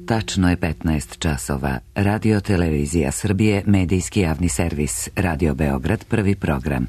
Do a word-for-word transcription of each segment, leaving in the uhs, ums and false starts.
Tačno je petnaest časova. Radio Televizija Srbije, medijski javni servis. Radio Beograd, prvi program.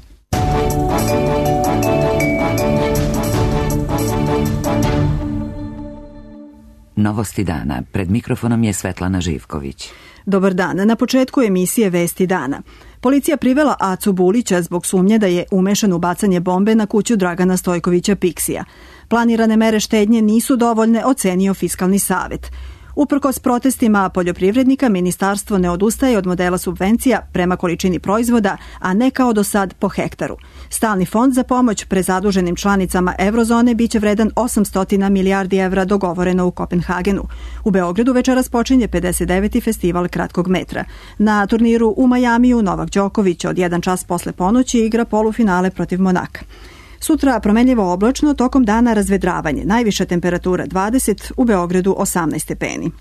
Novosti dana. Pred mikrofonom je Svetlana Živković. Dobar dan. Na početku emisije Vesti dana. Policija privela Acu Bulića zbog sumnje da je umešan u bacanje bombe na kuću Dragana Stojkovića Piksija. Planirane mere štednje nisu dovoljne, ocenio Fiskalni savet. Uprkos protestima poljoprivrednika, ministarstvo ne odustaje od modela subvencija prema količini proizvoda, a ne kao do sad po hektaru. Stalni fond za pomoć prezaduženim članicama Eurozone biće vredan osamsto milijardi evra, dogovoreno u Kopenhagenu. U Beogradu večeras počinje pedeset deveti festival kratkog metra. Na turniru u Majamiju Novak Đoković od jedan čas posle ponoći igra polufinale protiv Monaka. Sutra promenljivo oblačno, tokom dana razvedravanje. Najviša temperatura dvadeset, u Beogradu osamnaest stepeni.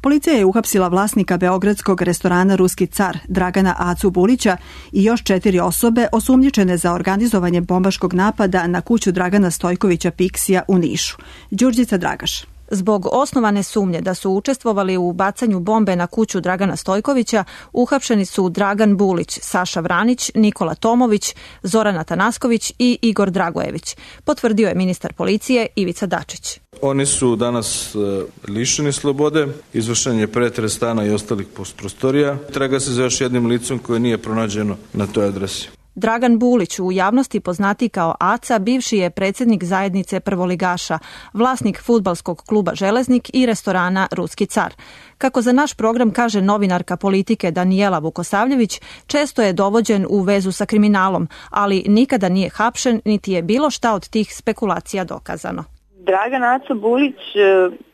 Policija je uhapsila vlasnika beogradskog restorana Ruski car Dragana Acu Bulića i još četiri osobe osumnjičene za organizovanje bombaškog napada na kuću Dragana Stojkovića Piksija u Nišu. Đurđica Dragaš. Zbog osnovane sumnje da su učestvovali u bacanju bombe na kuću Dragana Stojkovića, uhapšeni su Dragan Bulić, Saša Vranić, Nikola Tomović, Zoran Atanasković i Igor Dragojević, potvrdio je ministar policije Ivica Dačić. Oni su danas lišeni slobode, izvršen je pretres stana i ostalih prostorija. Traga se za još jednim licom koje nije pronađeno na toj adresi. Dragan Bulić, u javnosti poznati kao Aca, bivši je predsjednik zajednice prvoligaša, vlasnik fudbalskog kluba Železnik i restorana Ruski car. Kako za naš program kaže novinarka politike Danijela Vukosavljević, često je dovođen u vezu sa kriminalom, ali nikada nije hapšen, niti je bilo šta od tih spekulacija dokazano. Dragan Aca Bulić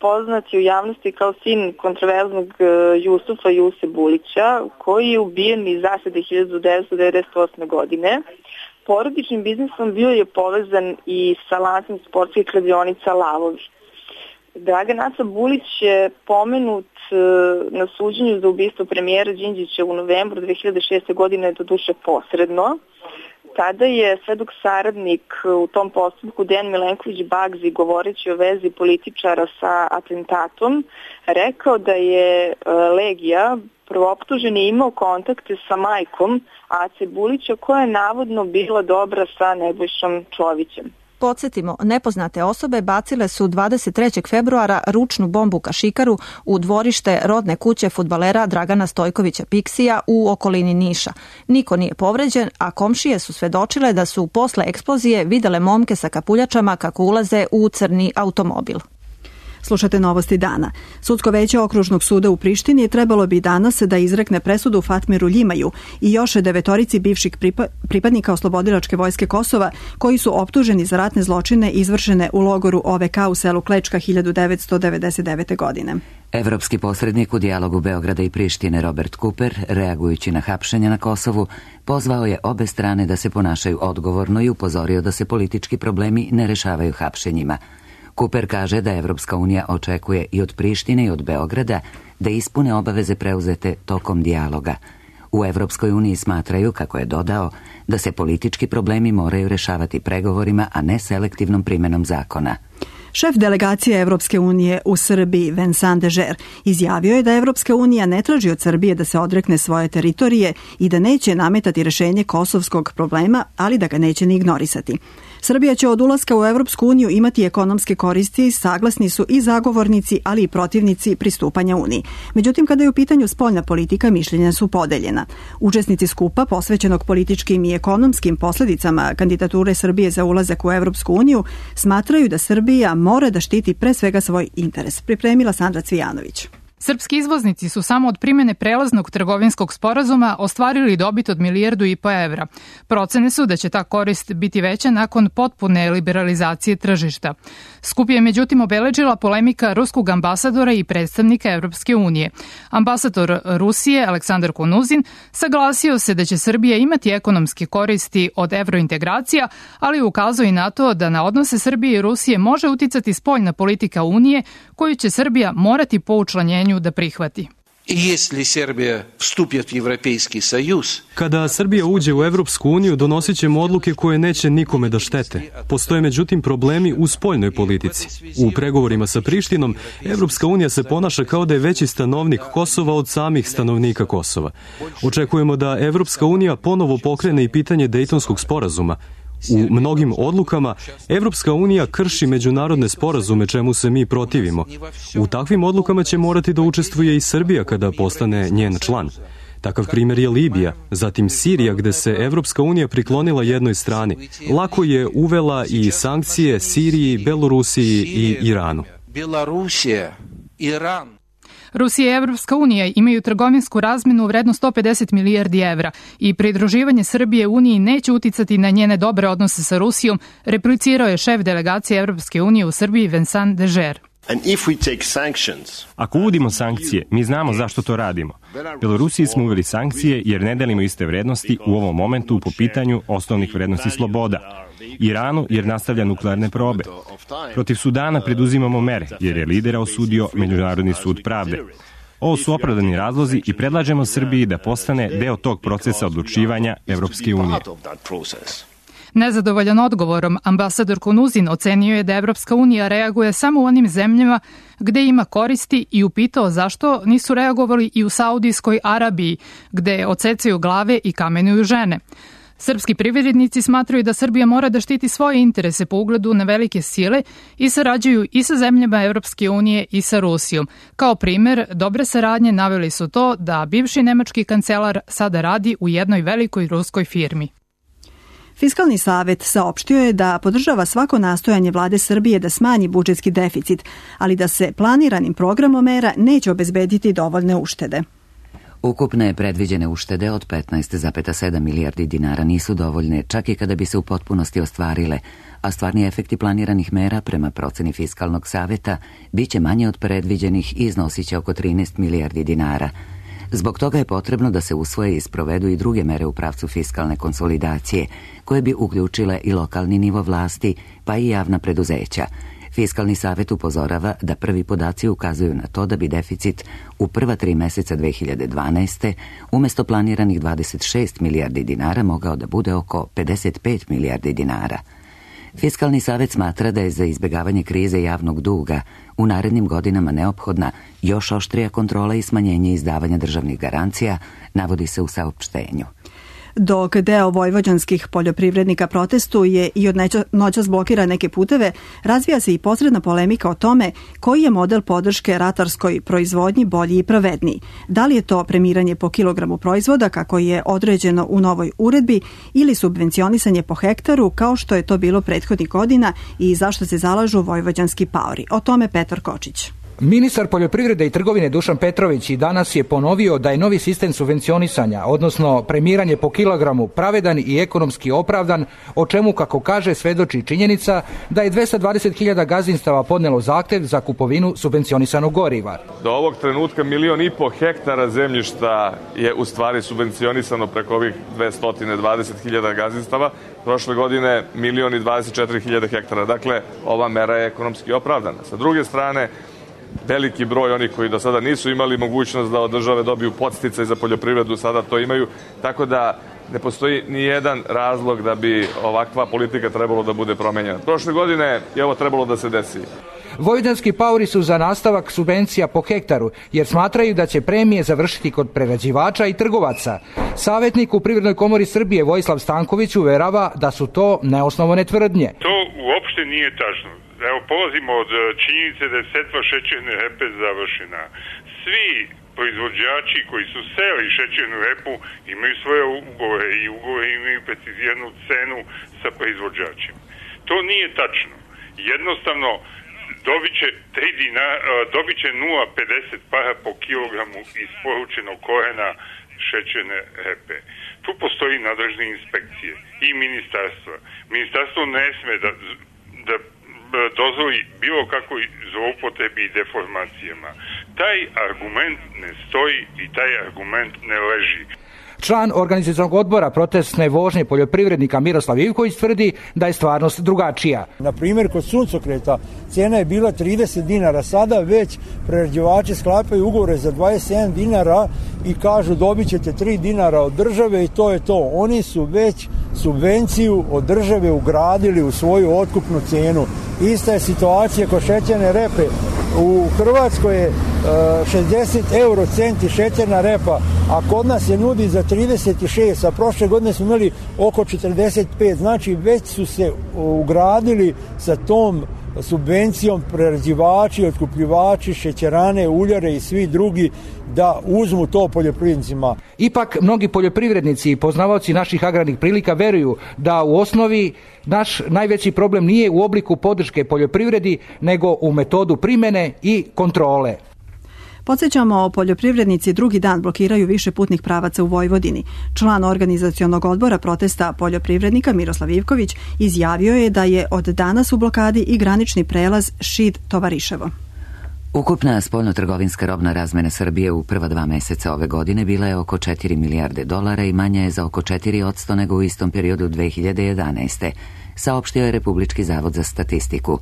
poznat je u javnosti kao sin kontroverznog Jusufa Juse Bulića, koji je ubijen iz zasede hiljadu devetsto devedeset osme. godine. Porodičnim biznisom bio je povezan i sa lancem sportskih kladionica Lavovi. Dragan Aca Bulić je pomenut na suđenju za ubistvo premijera Đinđića u novembru dve hiljade šeste. godine, doduše posredno. Tada je svedok saradnik u tom postupku Dejan Milenković Bagzi, govoreći o vezi političara sa atentatom, rekao da je Legija, prvooptuženi, imao kontakte sa majkom Ace Bulića, koja je navodno bila dobra sa Nebojšom Čovićem. Podsjetimo, nepoznate osobe bacile su dvadeset trećeg februara ručnu bombu kašikaru u dvorište rodne kuće fudbalera Dragana Stojkovića Piksija u okolini Niša. Niko nije povređen, a komšije su svedočile da su posle eksplozije videle momke sa kapuljačama kako ulaze u crni automobil. Slušate Novosti dana. Sudsko veće Okružnog suda u Prištini trebalo bi danas da izrekne presudu Fatmiru Ljimaju i još devetorici bivših pripadnika Oslobodilačke vojske Kosova koji su optuženi za ratne zločine izvršene u logoru O V K u selu Klečka hiljadu devetsto devedeset devete. godine. Evropski posrednik u dijalogu Beograda i Prištine Robert Cooper, reagujući na hapšenja na Kosovu, pozvao je obe strane da se ponašaju odgovorno i upozorio da se politički problemi ne rešavaju hapšenjima. Cooper kaže da Evropska unija očekuje i od Prištine i od Beograda da ispune obaveze preuzete tokom dijaloga. U Evropskoj uniji smatraju, kako je dodao, da se politički problemi moraju rešavati pregovorima, a ne selektivnom primenom zakona. Šef delegacije Evropske unije u Srbiji, Vincent Dežer, izjavio je da Evropska unija ne traži od Srbije da se odrekne svoje teritorije i da neće nametati rešenje kosovskog problema, ali da ga neće ni ignorisati. Srbija će od ulaska u Evropsku uniju imati ekonomske koristi, saglasni su i zagovornici, ali i protivnici pristupanja Uniji. Međutim, kada je u pitanju spoljna politika, mišljenja su podeljena. Učesnici skupa, posvećenog političkim i ekonomskim posledicama kandidature Srbije za ulazak u Evropsku uniju, smatraju da Srbija mora da štiti pre svega svoj interes. Pripremila Sandra Cvijanović. Srpski izvoznici su samo od primjene prelaznog trgovinskog sporazuma ostvarili dobit od milijardu i po evra. Procene su da će ta korist biti veća nakon potpune liberalizacije tržišta. Skup je međutim obeležila polemika ruskog ambasadora i predstavnika Evropske unije. Ambasador Rusije Aleksandar Konuzin saglasio se da će Srbija imati ekonomske koristi od evrointegracija, ali ukazao i na to da na odnose Srbije i Rusije može uticati spoljna politika Unije koju će Srbija morati po učlanjenju da prihvati. Kada Srbija uđe u Evropsku uniju, donosit ćemo odluke koje neće nikome da štete. Postoje međutim problemi u spoljnoj politici. U pregovorima sa Prištinom, Evropska unija se ponaša kao da je veći stanovnik Kosova od samih stanovnika Kosova. Očekujemo da Evropska unija ponovo pokrene i pitanje Dejtonskog sporazuma. U mnogim odlukama Evropska unija krši međunarodne sporazume, čemu se mi protivimo. U takvim odlukama će morati da učestvuje i Srbija kada postane njen član. Takav primjer je Libija, zatim Sirija gde se Evropska unija priklonila jednoj strani. Lako je uvela i sankcije Siriji, Belorusiji i Iranu. Rusija i Evropska unija imaju trgovinsku razmenu u vrednu sto pedeset milijardi evra i pridruživanje Srbije Uniji neće uticati na njene dobre odnose sa Rusijom, replicirao je šef delegacije Evropske unije u Srbiji Vincent Dežer. Ako uvodimo sankcije, mi znamo zašto to radimo. Belorusiji smo uveli sankcije jer ne delimo iste vrednosti u ovom momentu po pitanju osnovnih vrednosti sloboda. Iranu jer nastavlja nuklearne probe. Protiv Sudana preduzimamo mere jer je lidera osudio Međunarodni sud pravde. Ovo su opravdani razlozi i predlažemo Srbiji da postane deo tog procesa odlučivanja Evropske unije. Nezadovoljan odgovorom, ambasador Konuzin ocenio je da Evropska unija reaguje samo u onim zemljama gde ima koristi i upitao zašto nisu reagovali i u Saudijskoj Arabiji, gde odsecaju glave i kamenuju žene. Srpski privrednici smatraju da Srbija mora da štiti svoje interese po ugledu na velike sile i sarađuju i sa zemljama Evropske unije i sa Rusijom. Kao primer dobre saradnje naveli su to da bivši nemački kancelar sada radi u jednoj velikoj ruskoj firmi. Fiskalni savet saopštio je da podržava svako nastojanje vlade Srbije da smanji budžetski deficit, ali da se planiranim programom mera neće obezbediti dovoljne uštede. Ukupne predviđene uštede od petnaest zarez sedam milijardi dinara nisu dovoljne, čak i kada bi se u potpunosti ostvarile, a stvarni efekti planiranih mera prema proceni Fiskalnog saveta biće manje od predviđenih i iznosiće oko trinaest milijardi dinara. Zbog toga je potrebno da se usvoje i sprovedu i druge mere u pravcu fiskalne konsolidacije, koje bi uključile i lokalni nivo vlasti, pa i javna preduzeća. Fiskalni savet upozorava da prvi podaci ukazuju na to da bi deficit u prva tri meseca dve hiljade dvanaeste umesto planiranih dvadeset šest milijardi dinara mogao da bude oko pedeset pet milijardi dinara. Fiskalni savet smatra da je za izbjegavanje krize javnog duga u narednim godinama neophodna još oštrija kontrola i smanjenje izdavanja državnih garancija, navodi se u saopštenju. Dok deo vojvođanskih poljoprivrednika protestuje i od noćas blokira neke puteve, razvija se i posredna polemika o tome koji je model podrške ratarskoj proizvodnji bolji i pravedniji. Da li je to premiranje po kilogramu proizvoda kako je određeno u novoj uredbi ili subvencionisanje po hektaru kao što je to bilo prethodnih godina i zašto se zalažu vojvođanski paori. O tome Petar Kočić. Ministar poljoprivrede i trgovine Dušan Petrović i danas je ponovio da je novi sistem subvencionisanja, odnosno premiranje po kilogramu, pravedan i ekonomski opravdan, o čemu, kako kaže, svedoči činjenica da je dvesta dvadeset hiljada gazdinstava podnelo zahtev za kupovinu subvencionisanog goriva. Do ovog trenutka milion i po hektara zemljišta je u stvari subvencionisano preko ovih dvesta dvadeset hiljada gazdinstava. Prošle godine milion i dvadeset četiri hiljade hektara. Dakle, ova mera je ekonomski opravdana. Sa druge strane, veliki broj onih koji do sada nisu imali mogućnost da od države dobiju podsticaj za poljoprivredu, sada to imaju, tako da ne postoji ni jedan razlog da bi ovakva politika trebalo da bude promenjena. Prošle godine je ovo trebalo da se desi. Vojvođanski paori su za nastavak subvencija po hektaru, jer smatraju da će premije završiti kod prerađivača i trgovaca. Savjetnik u Privrednoj komori Srbije Vojislav Stanković uverava da su to neosnovane tvrdnje. To uopšte nije tačno. Evo, polazimo od činjenice da je setva šećerne repe završena. Svi proizvođači koji su seli šećernu repu imaju svoje ugovore i ugovore imaju preciziranu cenu sa proizvođačima. To nije tačno. Jednostavno, dobit će, tri dinara, dobit će nula zarez pedeset para po kilogramu isporučenog korena šećerne repe. Tu postoji nadležne inspekcije i ministarstva. Ministarstvo ne sme da, da dozvoli bilo kakvoj zloupotrebi i deformacijama. Taj argument ne stoji i taj argument ne leži. Član organizacionog odbora protestne vožnje poljoprivrednika Miroslav Ivković tvrdi da je stvarnost drugačija. Na primjer, kod suncokreta cijena je bila trideset dinara, sada već prerađivači sklapaju ugovore za dvadeset sedam dinara i kažu dobit ćete tri dinara od države i to je to. Oni su već subvenciju od države ugradili u svoju otkupnu cijenu. Ista je situacija kod šećerne repe. U Hrvatskoj je šezdeset euro centi šećerna repa, a kod nas je nudi za trideset šest, a prošle godine smo imali oko četrdeset pet. Znači već su se ugradili sa tom subvencijom prerađivači, otkupljivači, šećerane, uljare i svi drugi da uzmu to poljoprivrednicima. Ipak, mnogi poljoprivrednici i poznavaoci naših agrarnih prilika veruju da u osnovi naš najveći problem nije u obliku podrške poljoprivredi, nego u metodu primjene i kontrole. Podsjećamo, poljoprivrednici drugi dan blokiraju više putnih pravaca u Vojvodini. Član organizacionog odbora protesta poljoprivrednika Miroslav Ivković izjavio je da je od danas u blokadi i granični prelaz Šid-Tovariševo. Ukupna spoljnotrgovinska robna razmena Srbije u prva dva meseca ove godine bila je oko četiri milijarde dolara i manja je za oko četiri posto nego u istom periodu dve hiljade jedanaeste. Saopštio je Republički zavod za statistiku.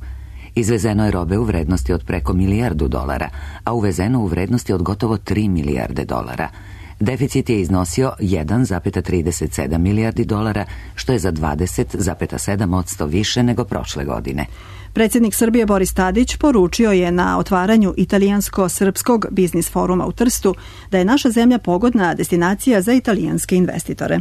Izvezeno je robe u vrednosti od preko milijardu dolara, a uvezeno u vrednosti od gotovo tri milijarde dolara. Deficit je iznosio jedan zarez trideset sedam milijardi dolara, što je za dvadeset zarez sedam posto više nego prošle godine. Predsjednik Srbije Boris Tadić poručio je na otvaranju italijansko-srpskog biznis foruma u Trstu da je naša zemlja pogodna destinacija za italijanske investitore.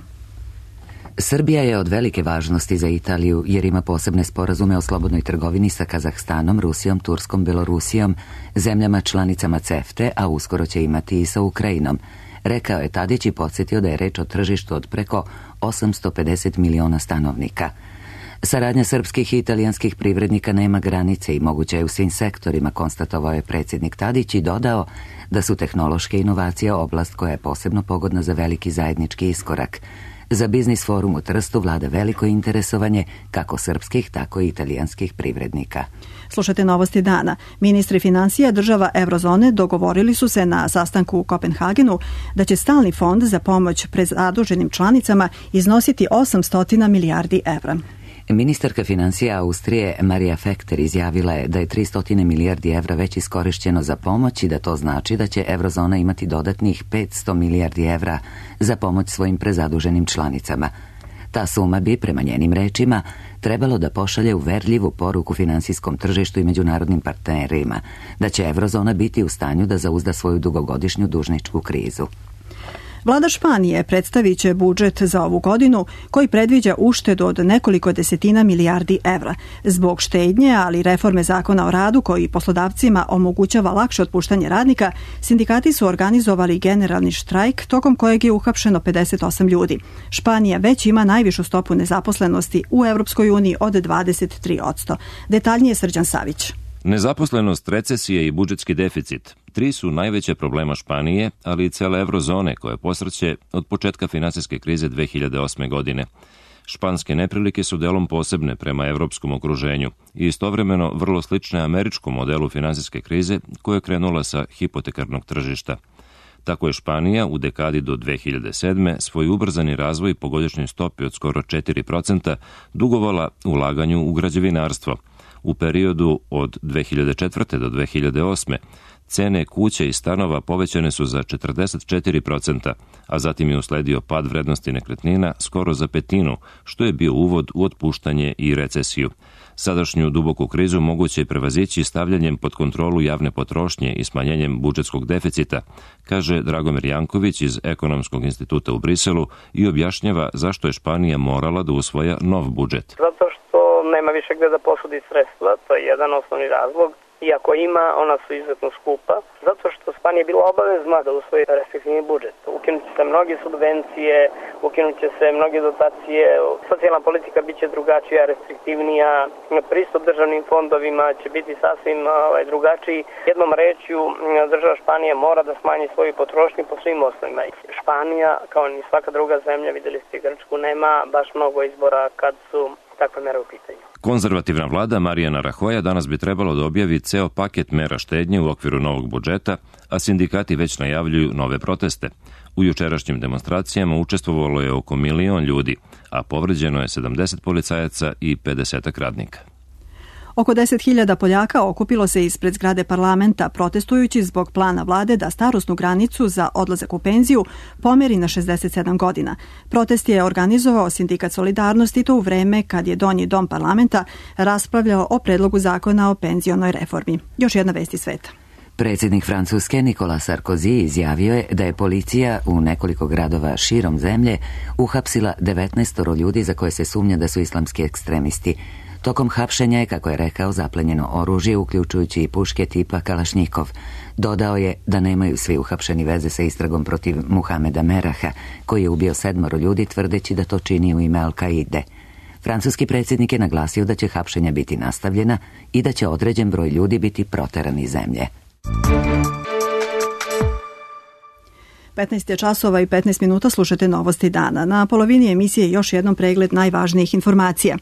Srbija je od velike važnosti za Italiju jer ima posebne sporazume o slobodnoj trgovini sa Kazahstanom, Rusijom, Turskom, Belorusijom, zemljama članicama CEFTE, a uskoro će imati i sa Ukrajinom. Rekao je Tadić i podsjetio da je reč o tržištu od preko osamsto pedeset miliona stanovnika. Saradnja srpskih i italijanskih privrednika nema granice i moguća je u svim sektorima, konstatovao je predsjednik Tadić i dodao da su tehnološke inovacije oblast koja je posebno pogodna za veliki zajednički iskorak. Za biznis forum u Trstu vlada veliko interesovanje kako srpskih, tako i italijanskih privrednika. Slušajte novosti dana. Ministri financija država Eurozone dogovorili su se na sastanku u Kopenhagenu da će stalni fond za pomoć prezaduženim članicama iznositi osamsto milijardi evra. Ministarka financija Austrije Marija Fekter izjavila je da je tristo milijardi evra već iskorišćeno za pomoć i da to znači da će Eurozona imati dodatnih petsto milijardi evra za pomoć svojim prezaduženim članicama. Ta suma bi, prema njenim rečima, trebalo da pošalje uverljivu poruku finansijskom tržištu i međunarodnim partnerima, da će Eurozona biti u stanju da zauzda svoju dugogodišnju dužničku krizu. Vlada Španije predstavit će budžet za ovu godinu koji predviđa uštedu od nekoliko desetina milijardi evra. Zbog štednje, ali reforme zakona o radu koji poslodavcima omogućava lakše otpuštanje radnika, sindikati su organizovali generalni štrajk tokom kojeg je uhapšeno pedeset osam ljudi. Španija već ima najvišu stopu nezaposlenosti u Evropskoj uniji od dvadeset tri posto. Detaljnije Srđan Savić. Nezaposlenost, recesije i budžetski deficit. Tri su najveće problema Španije, ali i cele Eurozone koje posrće od početka finansijske krize dve hiljade osme. godine. Španske neprilike su delom posebne prema evropskom okruženju i istovremeno vrlo slične američkom modelu finansijske krize koja je krenula sa hipotekarnog tržišta. Tako je Španija u dekadi do dve hiljade sedme. svoj ubrzani razvoj po godišnjoj stopi od skoro četiri posto dugovala ulaganju u građevinarstvo. U periodu od dve hiljade četvrte. do dve hiljade osme. cene kuća i stanova povećane su za četrdeset četiri posto, a zatim je usledio pad vrednosti nekretnina skoro za petinu, što je bio uvod u otpuštanje i recesiju. Sadašnju duboku krizu moguće je prevazići stavljanjem pod kontrolu javne potrošnje i smanjenjem budžetskog deficita, kaže Dragomir Janković iz Ekonomskog instituta u Briselu i objašnjava zašto je Španija morala da usvoja nov budžet. Zato što nema više gde da posudi sredstva, to je jedan osnovni razlog. Iako ima, ona su izuzetno skupa, zato što Španija je bila obavezna da usvoji restriktivni budžet. Ukinut će se mnoge subvencije, ukinut će se mnoge dotacije, socijalna politika bit će drugačija, restriktivnija, pristup državnim fondovima će biti sasvim ovaj, drugačiji. Jednom rečju, država Španija mora da smanji svoju potrošnju po svim osnovima. Španija, kao ni svaka druga zemlja, vidjeli ste Grčku, nema baš mnogo izbora kad su takva mera u pitanju. Konzervativna vlada Marijana Rahoja danas bi trebalo da objavi ceo paket mera štednje u okviru novog budžeta, a sindikati već najavljuju nove proteste. U jučerašnjim demonstracijama učestvovalo je oko milion ljudi, a povređeno je sedamdeset policajaca i pedeset radnika. Oko deset hiljada Poljaka okupilo se ispred zgrade parlamenta protestujući zbog plana vlade da starosnu granicu za odlazak u penziju pomeri na šezdeset sedam godina. Protest je organizovao Sindikat Solidarnosti to u vreme kad je Donji dom parlamenta raspravljao o predlogu zakona o penzionoj reformi. Još jedna vest iz sveta. Predsjednik Francuske Nikola Sarkozy izjavio je da je policija u nekoliko gradova širom zemlje uhapsila devetnaest ljudi za koje se sumnja da su islamski ekstremisti. Tokom hapšenja je, kako je rekao, zaplenjeno oružje, uključujući i puške tipa Kalašnjikov. Dodao je da nemaju svi uhapšeni veze sa istragom protiv Muhameda Meraha, koji je ubio sedmoro ljudi tvrdeći da to čini u ime Al-Kaide. Francuski predsjednik je naglasio da će hapšenja biti nastavljena i da će određen broj ljudi biti proteran iz zemlje. petnaest je časova i petnaest minuta, slušate Novosti dana. Na polovini emisije još jednom pregled najvažnijih informacija.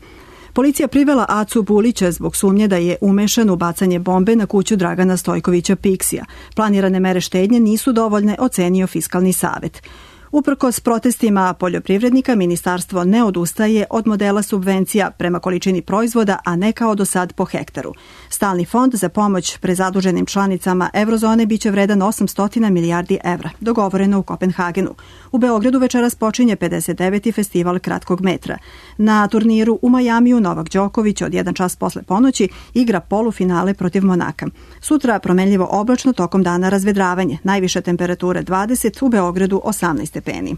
Policija privela Acu Bulića zbog sumnje da je umešan u bacanje bombe na kuću Dragana Stojkovića Piksija. Planirane mere štednje nisu dovoljne, ocenio Fiskalni savet. Uprkos protestima poljoprivrednika, ministarstvo ne odustaje od modela subvencija prema količini proizvoda, a ne kao do sad po hektaru. Stalni fond za pomoć prezaduženim članicama Eurozone biće vredan osamsto milijardi evra, dogovoreno u Kopenhagenu. U Beogradu večeras počinje pedeset deveti festival kratkog metra. Na turniru u Majamiju Novak Đoković od jedan čas posle ponoći igra polufinale protiv Monaka. Sutra promenljivo oblačno, tokom dana razvedravanje. Najviše temperature dvadeset, u Beogradu osamnaest stepeni.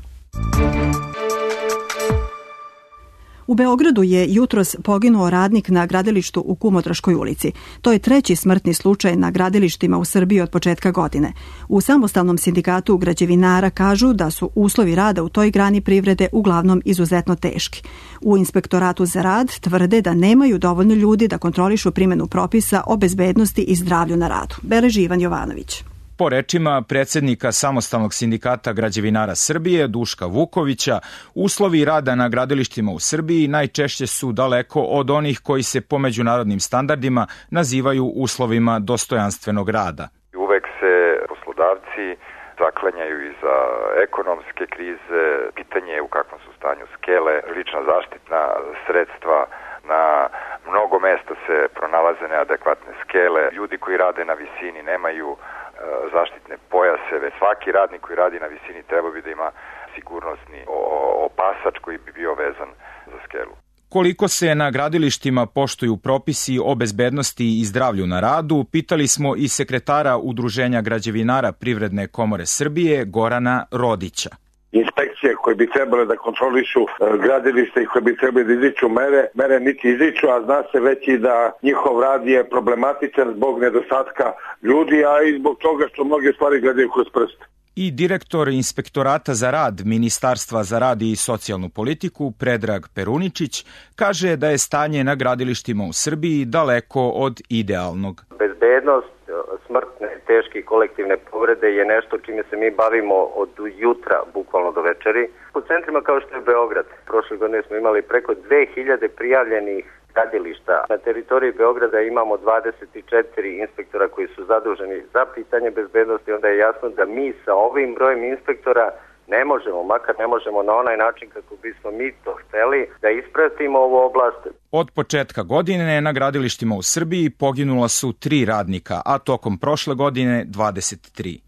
U Beogradu je jutros poginuo radnik na gradilištu u Kumotraškoj ulici. To je treći smrtni slučaj na gradilištima u Srbiji od početka godine. U samostalnom sindikatu građevinara kažu da su uslovi rada u toj grani privrede uglavnom izuzetno teški. U Inspektoratu za rad tvrde da nemaju dovoljno ljudi da kontrolišu primjenu propisa o bezbednosti i zdravlju na radu. Beleži Ivan Jovanović. Po rečima predsjednika Samostalnog sindikata građevinara Srbije, Duška Vukovića, uslovi rada na gradilištima u Srbiji najčešće su daleko od onih koji se po međunarodnim standardima nazivaju uslovima dostojanstvenog rada. Uvek se poslodavci zaklanjaju iza ekonomske krize, pitanje je u kakvom su stanju skele, lična zaštitna sredstva, na mnogo mesta se pronalaze neadekvatne skele, ljudi koji rade na visini nemaju zaštitne pojaseve. Svaki radnik koji radi na visini treba bi da ima sigurnosni opasač koji bi bio vezan za skelu. Koliko se na gradilištima poštuju propisi o bezbednosti i zdravlju na radu, pitali smo i sekretara Udruženja građevinara Privredne komore Srbije, Gorana Rodića. Inspekcije koje bi trebale da kontrolišu gradilište i koje bi trebali da izriču mere, mere niti izriču, a zna se već i da njihov rad je problematičan zbog nedostatka ljudi, a i zbog toga što mnoge stvari gledaju kroz prst. I direktor Inspektorata za rad Ministarstva za rad i socijalnu politiku, Predrag Peruničić, kaže da je stanje na gradilištima u Srbiji daleko od idealnog. Bezbednost, smrtne, teške i kolektivne povrede je nešto čime se mi bavimo od jutra, bukvalno do večeri. U centrima kao što je Beograd, prošle godine smo imali preko dve hiljade prijavljenih gradilišta. Na teritoriji Beograda imamo dvadeset četiri inspektora koji su zaduženi za pitanje bezbednosti, onda je jasno da mi sa ovim brojem inspektora ne možemo, makar ne možemo na onaj način kako bismo mi to hteli, da ispratimo ovu oblast. Od početka godine na gradilištima u Srbiji poginula su tri radnika, a tokom prošle godine dvadeset tri.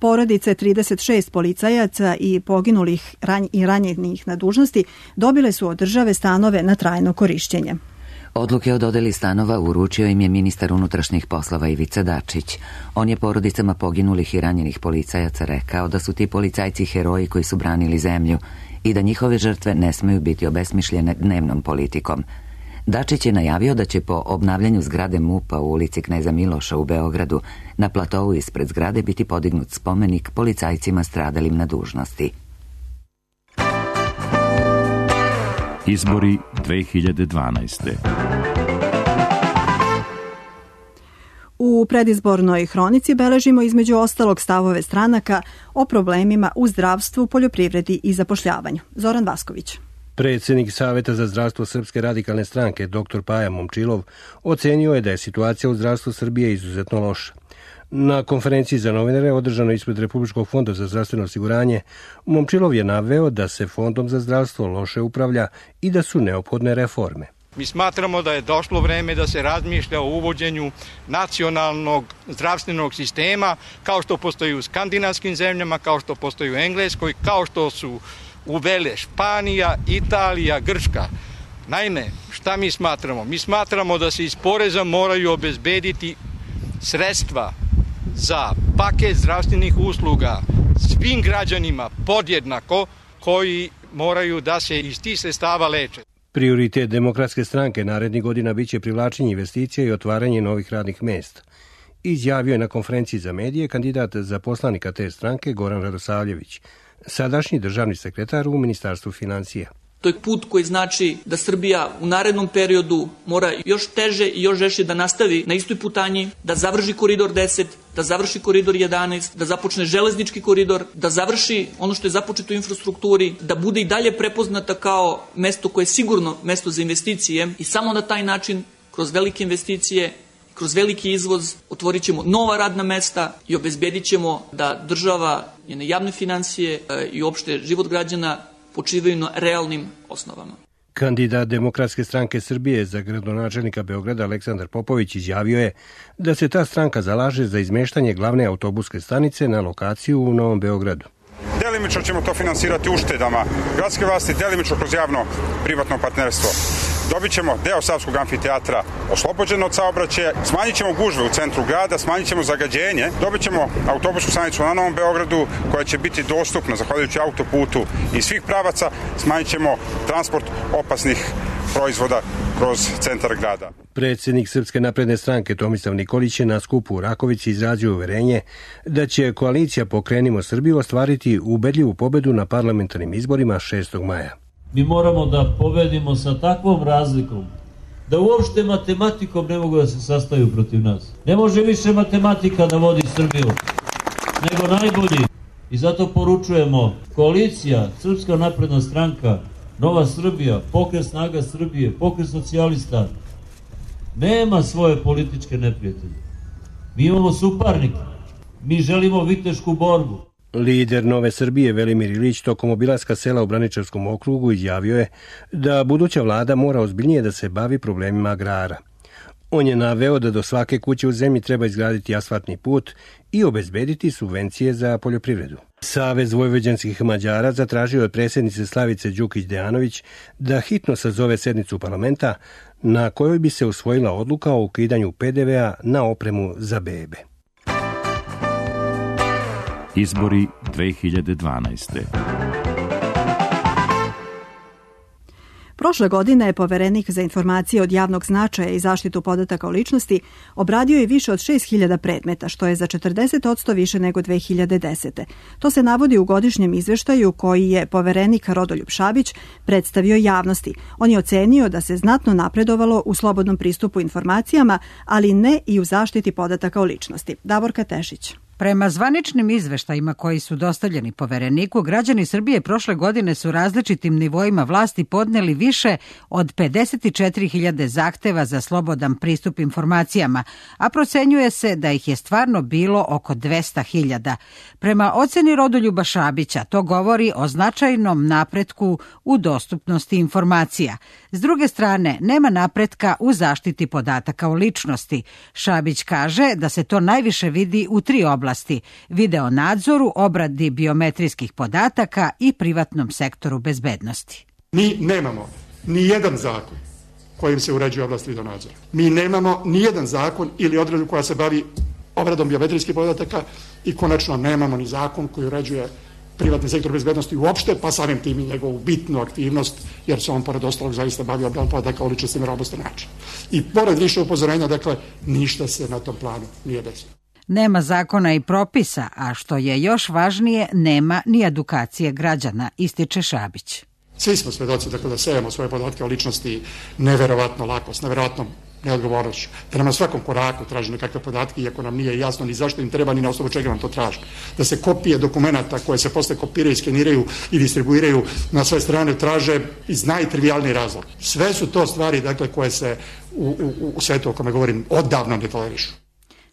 Porodice trideset šest policajaca i poginulih ranj i ranjenih na dužnosti dobile su od države stanove na trajno korišćenje. Odluke o dodeli stanova uručio im je ministar unutrašnjih poslova Ivica Dačić. On je porodicama poginulih i ranjenih policajaca rekao da su ti policajci heroji koji su branili zemlju i da njihove žrtve ne smeju biti obesmišljene dnevnom politikom. Dačić je najavio da će po obnavljanju zgrade MUP-a u ulici Kneza Miloša u Beogradu na platovu ispred zgrade biti podignut spomenik policajcima stradalim na dužnosti. Izbori dve hiljade dvanaeste. U predizbornoj hronici beležimo između ostalog stavove stranaka o problemima u zdravstvu, poljoprivredi i zapošljavanju. Zoran Vasković. Predsjednik Saveta za zdravstvo Srpske radikalne stranke, dr Paja Momčilov, ocenio je da je situacija u zdravstvu Srbije izuzetno loša. Na konferenciji za novinare održanoj ispred Republičkog fonda za zdravstveno osiguranje, Momčilov je naveo da se Fondom za zdravstvo loše upravlja i da su neophodne reforme. Mi smatramo da je došlo vreme da se razmišlja o uvođenju nacionalnog zdravstvenog sistema, kao što postoji u skandinavskim zemljama, kao što postoji u Engleskoj, kao što su uvele Španija, Italija, Grčka. Naime, šta mi smatramo? Mi smatramo da se iz poreza moraju obezbediti sredstva za paket zdravstvenih usluga svim građanima podjednako koji moraju da se iz tih sredstava leče. Prioritet Demokratske stranke narednih godina biće privlačenje investicija i otvaranje novih radnih mesta. Izjavio je na konferenciji za medije kandidat za poslanika te stranke Goran Radosavljević, sadašnji državni sekretar u Ministarstvu financija. To je put koji znači da Srbija u narednom periodu mora još teže i još žešće da nastavi na istoj putanji, da završi koridor deset, da završi koridor jedanaest, da započne železnički koridor, da završi ono što je započeto u infrastrukturi, da bude i dalje prepoznata kao mesto koje je sigurno mesto za investicije i samo na taj način, kroz velike investicije, kroz veliki izvoz, otvorit ćemo nova radna mesta i obezbedit ćemo da država, njene javne financije i uopšte život građana počivaju na realnim osnovama. Kandidat Demokratske stranke Srbije za gradonačelnika Beograda Aleksandar Popović izjavio je da se ta stranka zalaže za izmeštanje glavne autobuske stanice na lokaciju u Novom Beogradu. Delimično ćemo to finansirati uštedama gradske vlasti, delimično kroz javno-privatno partnerstvo. Dobit ćemo deo Savskog amfiteatra oslobođen od saobraćaja, smanjit ćemo gužve u centru grada, smanjit ćemo zagađenje, dobit ćemo autobusku stanicu na Novom Beogradu koja će biti dostupna zahvaljujući autoputu iz svih pravaca, smanjit ćemo transport opasnih proizvoda kroz centar grada. Predsjednik Srpske napredne stranke Tomislav Nikolić je na skupu u Rakovici izrazio uverenje da će koalicija Pokrenimo Srbiju ostvariti ubedljivu pobedu na parlamentarnim izborima šestog maja. Mi moramo da pobedimo sa takvom razlikom da uopšte matematikom ne mogu da se sastaju protiv nas. Ne može više matematika da vodi Srbiju nego najbolji. I zato poručujemo koalicija, Srpska napredna stranka, Nova Srbija, Pokret snaga Srbije, Pokret socijalista, nema svoje političke neprijatelje. Mi imamo suparnike. Mi želimo vitešku borbu. Lider Nove Srbije Velimir Ilić tokom obilaska sela u Braničevskom okrugu izjavio je da buduća vlada mora ozbiljnije da se bavi problemima agrara. On je naveo da do svake kuće u zemlji treba izgraditi asfaltni put i obezbediti subvencije za poljoprivredu. Savez vojvođanskih Mađara zatražio je predsjednice Slavice Đukić-Dejanović da hitno sazove sednicu parlamenta na kojoj bi se usvojila odluka o ukidanju pe de ve a na opremu za bebe. Izbori dve hiljade dvanaeste. Prošle godine je Poverenik za informacije od javnog značaja i zaštitu podataka o ličnosti obradio je više od šest hiljada predmeta, što je za četrdeset posto više nego dve hiljade desete. To se navodi u godišnjem izveštaju koji je Poverenik Rodoljub Šabić predstavio javnosti. On je ocenio da se znatno napredovalo u slobodnom pristupu informacijama, ali ne i u zaštiti podataka o ličnosti. Davorka Tešić. Prema zvaničnim izveštajima koji su dostavljeni Povereniku, građani Srbije prošle godine su različitim nivoima vlasti podneli više od pedeset četiri hiljade zahteva za slobodan pristup informacijama, a procenjuje se da ih je stvarno bilo oko dvesta hiljada. Prema oceni Rodoljuba Šabića, to govori o značajnom napretku u dostupnosti informacija. S druge strane, nema napretka u zaštiti podataka o ličnosti. Šabić kaže da se to najviše vidi u tri oblasti. Video nadzoru, obradi biometrijskih podataka i privatnom sektoru bezbednosti. Mi nemamo ni jedan zakon kojim se uređuje oblast video nadzora. Mi nemamo ni jedan zakon ili odredbu koja se bavi obradom biometrijskih podataka i konačno nemamo ni zakon koji uređuje privatni sektor bezbednosti uopšte, pa samim tim i njegovu bitnu aktivnost, jer se on pored ostalog zaista bavi obradom podataka o ličnosti na robustan način. I pored više upozorenja, dakle, ništa se na tom planu nije desilo. Nema zakona i propisa, a što je još važnije, nema ni edukacije građana, ističe Šabić. Svi smo svedoci dakle, da sejemo svoje podatke o ličnosti neverovatno lako, s neverovatnom neodgovornošću. Da nam na svakom koraku traži nekakve podatke, iako nam nije jasno ni zašto im treba, ni na osnovu čega nam to traži. Da se kopije dokumenta koje se posle kopiraju, skeniraju i distribuiraju na sve strane traže iz najtrivijalniji razlog. Sve su to stvari, dakle, koje se u, u, u svetu o kome govorim odavno ne tolerišu.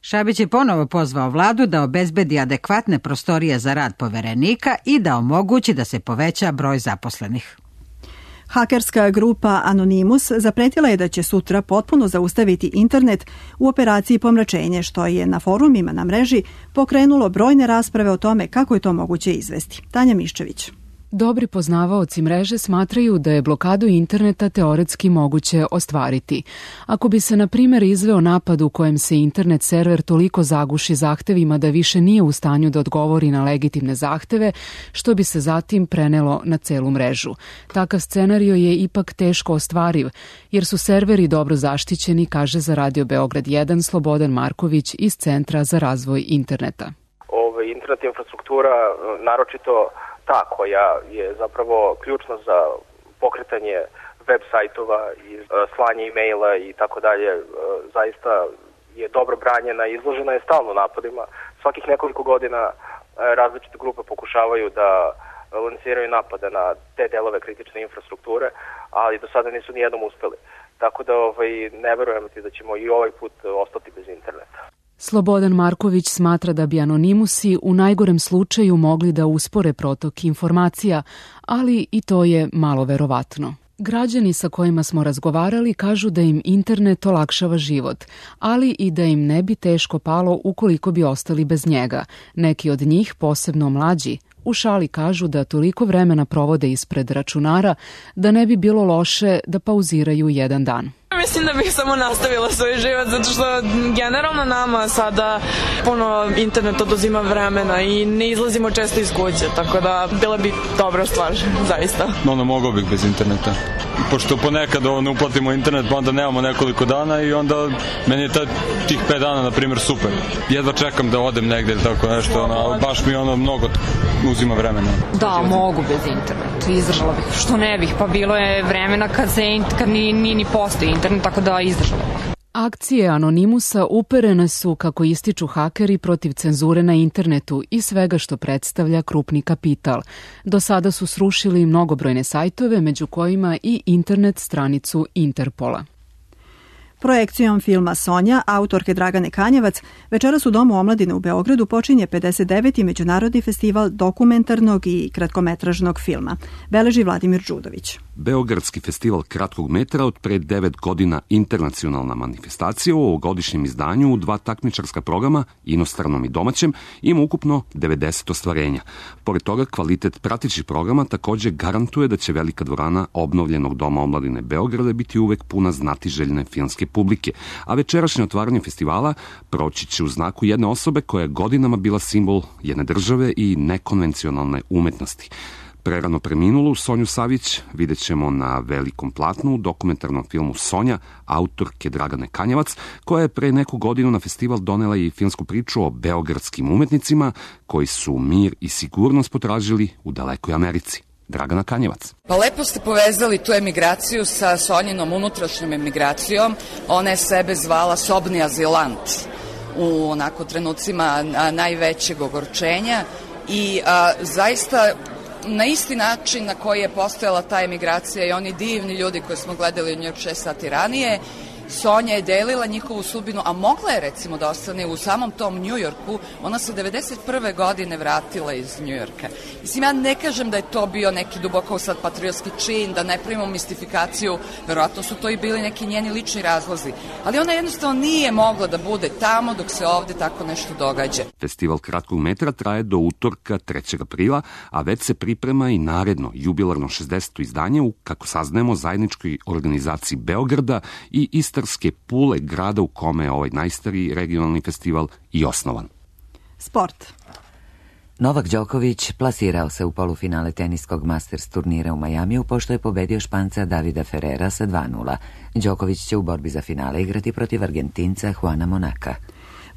Šabić je ponovo pozvao vladu da obezbedi adekvatne prostorije za rad poverenika i da omogući da se poveća broj zaposlenih. Hakerska grupa Anonymous zapretila je da će sutra potpuno zaustaviti internet u operaciji pomračenje, što je na forumima na mreži pokrenulo brojne rasprave o tome kako je to moguće izvesti. Tanja Miščević. Dobri poznavaoci mreže smatraju da je blokadu interneta teoretski moguće ostvariti. Ako bi se, na primjer, izveo napad u kojem se internet server toliko zaguši zahtevima da više nije u stanju da odgovori na legitimne zahteve, što bi se zatim prenelo na celu mrežu. Takav scenario je ipak teško ostvariv, jer su serveri dobro zaštićeni, kaže za Radio Beograd jedan Slobodan Marković iz Centra za razvoj interneta. Ove, internet infrastruktura, naročito ta koja je zapravo ključna za pokretanje web sajtova i slanje e-maila i tako dalje, zaista je dobro branjena i izložena je stalno napadima. Svakih nekoliko godina različite grupe pokušavaju da lansiraju napade na te delove kritične infrastrukture, ali do sada nisu nijednom uspeli. Tako da ovaj, ne verujem ti da ćemo i ovaj put ostati bez interneta. Slobodan Marković smatra da bi anonimusi u najgorem slučaju mogli da uspore protok informacija, ali i to je malo verovatno. Građani sa kojima smo razgovarali kažu da im internet olakšava život, ali i da im ne bi teško palo ukoliko bi ostali bez njega. Neki od njih, posebno mlađi, u šali kažu da toliko vremena provode ispred računara da ne bi bilo loše da pauziraju jedan dan. Mislim da bih samo nastavila svoj život, zato što generalno nama sada puno internet oduzima vremena i ne izlazimo često iz kuće, tako da bila bi dobra stvar, zaista. Ono, mogao bih bez interneta. Pošto ponekad ovo ne uplatimo internet, pa onda nemamo nekoliko dana i onda meni je ta, tih pet dana, na primjer, super. Jedva čekam da odem negde ili tako nešto, ono, baš mi ono mnogo uzima vremena. Da, mogu bez interneta, izdržala bih. Što ne bih, pa bilo je vremena kad, se, kad ni, ni, ni postoji internet, tako da izdržala bih. Akcije Anonimusa uperene su, kako ističu hakeri, protiv cenzure na internetu i svega što predstavlja krupni kapital. Do sada su srušili mnogobrojne sajtove, među kojima i internet stranicu Interpola. Projekcijom filma Sonja, autorke Dragane Kanjevac, večeras u Domu omladine u Beogradu počinje pedeset deveti Međunarodni festival dokumentarnog i kratkometražnog filma, beleži Vladimir Đudović. Beogradski festival kratkog metra od pre devet godina internacionalna manifestacija u ovogodišnjem izdanju u dva takmičarska programa, inostranom i domaćem, ima ukupno devedeset ostvarenja. Pored toga, kvalitet pratećih programa takođe garantuje da će velika dvorana obnovljenog Doma omladine Beograda biti uvek puna znatiželjne filmske publike, a večerašnje otvaranje festivala proći će u znaku jedne osobe koja je godinama bila simbol jedne države i nekonvencionalne umetnosti. Prerano preminulu Sonju Savić vidjet ćemo na velikom platnu u dokumentarnom filmu Sonja, autorke Dragane Kanjevac, koja je pre neku godinu na festival donela i filmsku priču o beogradskim umetnicima koji su mir i sigurnost potražili u dalekoj Americi. Dragana Kanjevac. Pa lepo ste povezali tu emigraciju sa Sonjinom unutrašnjom emigracijom. Ona je sebe zvala sobni azilant u onako trenucima najvećeg ogorčenja i a, zaista na isti način na koji je postojala ta emigracija i oni divni ljudi koje smo gledali u New York šest sati ranije, Sonja je delila njihovu sudbinu, a mogla je recimo da ostane u samom tom New Yorku. Ona se devedeset prve godine vratila iz New Yorka. Mislim, ja ne kažem da je to bio neki duboko sad patriotski čin, da ne primimo mistifikaciju, verovatno su to i bili neki njeni lični razlozi, ali ona jednostavno nije mogla da bude tamo dok se ovde tako nešto događa. Festival kratkog metra traje do utorka trećeg aprila, a već se priprema i naredno jubilarno šezdeseto izdanje u, kako saznajemo, zajedničkoj organizaciji Beograda i Istarske Pule, grada u kome je ovaj najstariji regionalni festival i osnovan. Sport. Novak Đoković plasirao se u polufinale teniskog Masters turnira u Majamiju pošto je pobedio Španca Davida Ferrera sa dva nula. Đoković će u borbi za finale igrati protiv Argentinca Juana Monaka.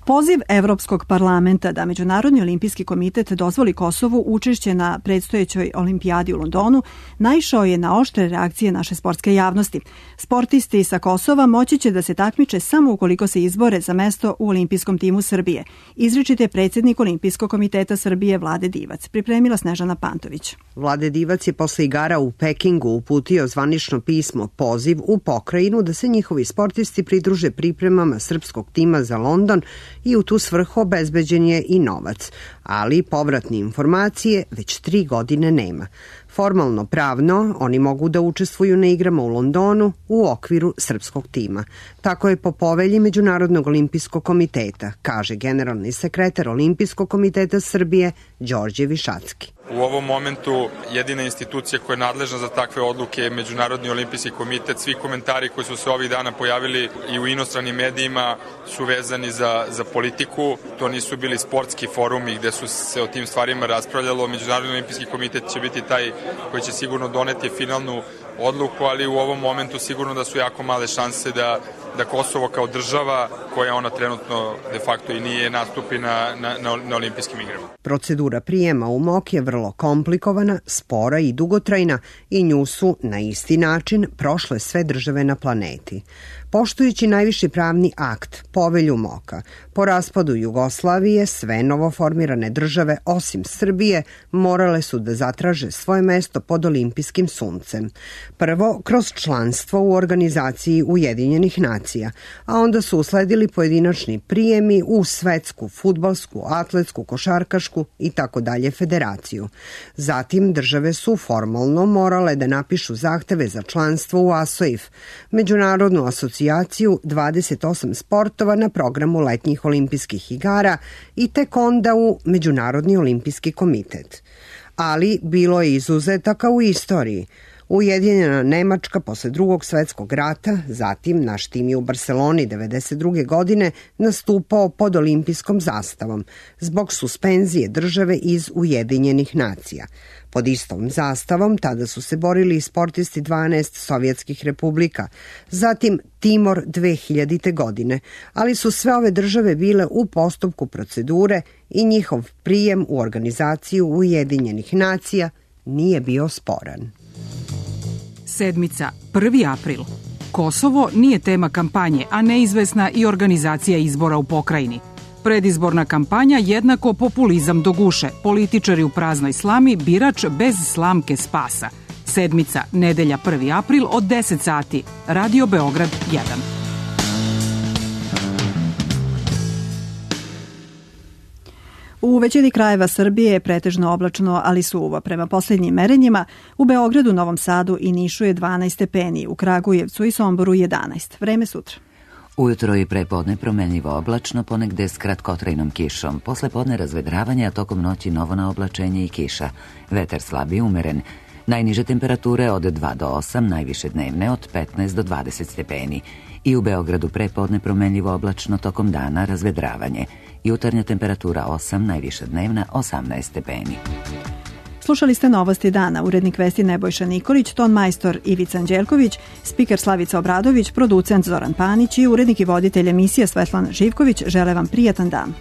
Poziv Evropskog parlamenta da Međunarodni olimpijski komitet dozvoli Kosovu učešće na predstojećoj olimpijadi u Londonu naišao je na oštre reakcije naše sportske javnosti. Sportisti sa Kosova moći će da se takmiče samo ukoliko se izbore za mesto u olimpijskom timu Srbije. Izričite predsjednik Olimpijskog komiteta Srbije Vlade Divac. Pripremila Snežana Pantović. Vlade Divac je posle igara u Pekingu uputio zvanično pismo poziv u pokrajinu da se njihovi sportisti pridruže pripremama srpskog tima za London i u tu svrhu obezbeđen je i novac, ali povratne informacije već tri godine nema. Formalno pravno, oni mogu da učestvuju na igrama u Londonu u okviru srpskog tima. Tako je po povelji Međunarodnog olimpijskog komiteta, kaže generalni sekretar Olimpijskog komiteta Srbije Đorđe Višacki. U ovom momentu jedina institucija koja je nadležna za takve odluke je Međunarodni olimpijski komitet. Svi komentari koji su se ovih dana pojavili i u inostranim medijima su vezani za, za politiku. To nisu bili sportski forumi gde su se o tim stvarima raspravljalo. Međunarodni olimpijski komitet će biti taj koji će sigurno doneti finalnu odluku, ali u ovom momentu sigurno da su jako male šanse da, da Kosovo kao država, koja ona trenutno de facto i nije, nastupi na, na, na olimpijskim igrama. Procedura prijema u M O K je vrlo komplikovana, spora i dugotrajna i nju su na isti način prošle sve države na planeti. Poštujući najviši pravni akt, povelju M O K-a, po raspadu Jugoslavije sve novoformirane države, osim Srbije, morale su da zatraže svoje mesto pod olimpijskim suncem. Prvo, kroz članstvo u organizaciji Ujedinjenih nacija, a onda su usledili pojedinačni prijemi u svetsku, fudbalsku, atletsku, košarkašku i tako dalje federaciju. Zatim, države su formalno morale da napišu zahteve za članstvo u A S O I F, Međunarodnu asocijaciju dvadeset osam sportova na programu letnjih olimpijskih igara i tek onda u Međunarodni olimpijski komitet. Ali bilo je izuzetaka u istoriji. Ujedinjena Nemačka posle drugog svetskog rata, zatim naš tim je u Barceloni devedeset druge godine nastupao pod olimpijskom zastavom zbog suspenzije države iz Ujedinjenih nacija. Pod istom zastavom tada su se borili sportisti dvanaest sovjetskih republika, zatim Timor dve hiljadite. godine, ali su sve ove države bile u postupku procedure i njihov prijem u organizaciju Ujedinjenih nacija nije bio sporan. Sedmica, prvi april. Kosovo nije tema kampanje, a neizvesna i organizacija izbora u pokrajini. Predizborna kampanja jednako populizam do guše, političari u praznoj slami, birač bez slamke spasa. Sedmica, nedelja prvi april od deset sati. Radio Beograd jedan. U većini krajeva Srbije je pretežno oblačno, ali suvo. Prema posljednjim merenjima, u Beogradu, Novom Sadu i Nišu je dvanaest stepeni, u Kragujevcu i Somboru jedanaest. Vreme sutra. Ujutro i prepodne promenljivo oblačno, ponegde s kratkotrajnom kišom. Posle podne razvedravanje, a tokom noći novo naoblačenje i kiša. Vetar slab i umeren. Najniže temperature od dva do osam, najviše dnevne od petnaest do dvadeset stepeni. I u Beogradu prepodne promenljivo oblačno, tokom dana razvedravanje. Jutarnja temperatura osam, najviša dnevna osamnaest stepeni. Slušali ste Novosti dana, urednik vesti Nebojša Nikolić, ton majstor Ivica Anđelković, spiker Slavica Obradović, producent Zoran Panić i urednik i voditelj emisije Svetlan Živković žele vam prijatan dan.